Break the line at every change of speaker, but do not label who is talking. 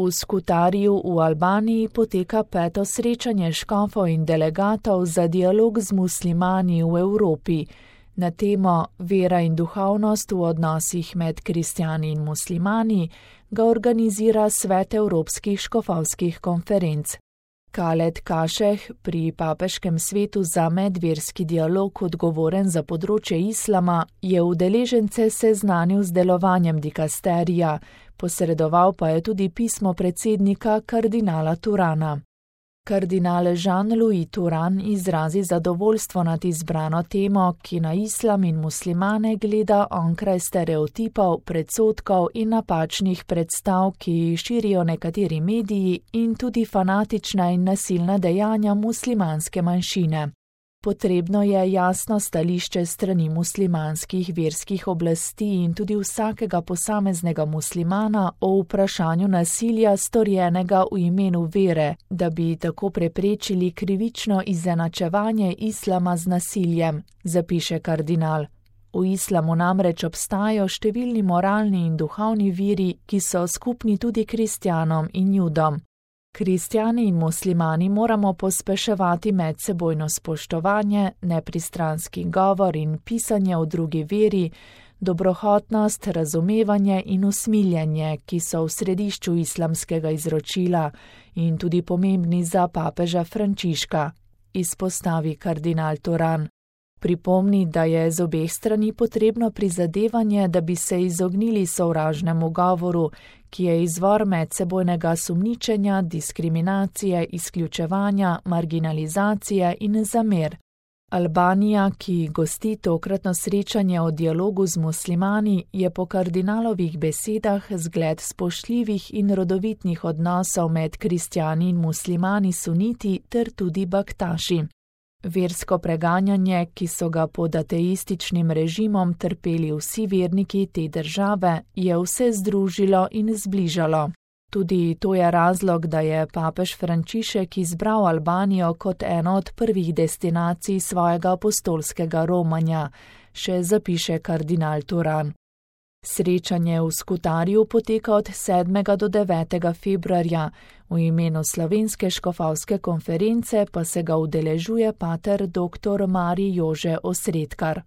V Skutarju v Albaniji poteka 5. srečanje škofov in delegatov za dialog z muslimani v Evropi. Na temo Vera in duhovnost v odnosih med kristjani in muslimani ga organizira Svet Evropskih škofovskih konferenc. Khaled Kašeh, pri Papeškem svetu za medverski dialog odgovoren za področje islama, je udeležence seznanil z delovanjem dikasterija, posredoval pa je tudi pismo predsednika kardinala Turana. Kardinal Jean-Louis Turan izrazi zadovoljstvo nad izbrano temo, ki na islam in muslimane gleda onkraj stereotipov, predsodkov in napačnih predstav, ki jih širijo nekateri mediji in tudi fanatična in nasilna dejanja muslimanske manjšine. Potrebno je jasno stališče strani muslimanskih verskih oblasti in tudi vsakega posameznega muslimana o vprašanju nasilja storjenega v imenu vere, da bi tako preprečili krivično izenačevanje islama z nasiljem, zapiše kardinal. V islamu namreč obstajajo številni moralni in duhovni viri, ki so skupni tudi kristjanom in judom. Kristjani in muslimani moramo pospeševati medsebojno spoštovanje, nepristranski govor in pisanje o drugi veri, dobrohotnost, razumevanje in usmiljenje, ki so v središču islamskega izročila in tudi pomembni za papeža Frančiška, izpostavi kardinal Turan. Pripomni, da je z obeh strani potrebno prizadevanje, da bi se izognili sovražnemu govoru, ki je izvor medsebojnega sumničenja, diskriminacije, izključevanja, marginalizacije in zamer. Albanija, ki gosti tokratno srečanje o dialogu z muslimani, je po kardinalovih besedah zgled spoštljivih in rodovitnih odnosov med kristjani in muslimani suniti ter tudi baktaši. Versko preganjanje, ki so ga pod ateističnim režimom trpeli vsi verniki te države, je vse združilo in zbližalo. Tudi to je razlog, da je papež Frančišek izbral Albanijo kot eno od prvih destinacij svojega apostolskega romanja, še zapiše kardinal Turan. Srečanje v Skutarju poteka od 7. do 9. februarja, v imenu Slovenske škofovske konference pa se ga udeležuje pater dr. Marij Jože Osredkar.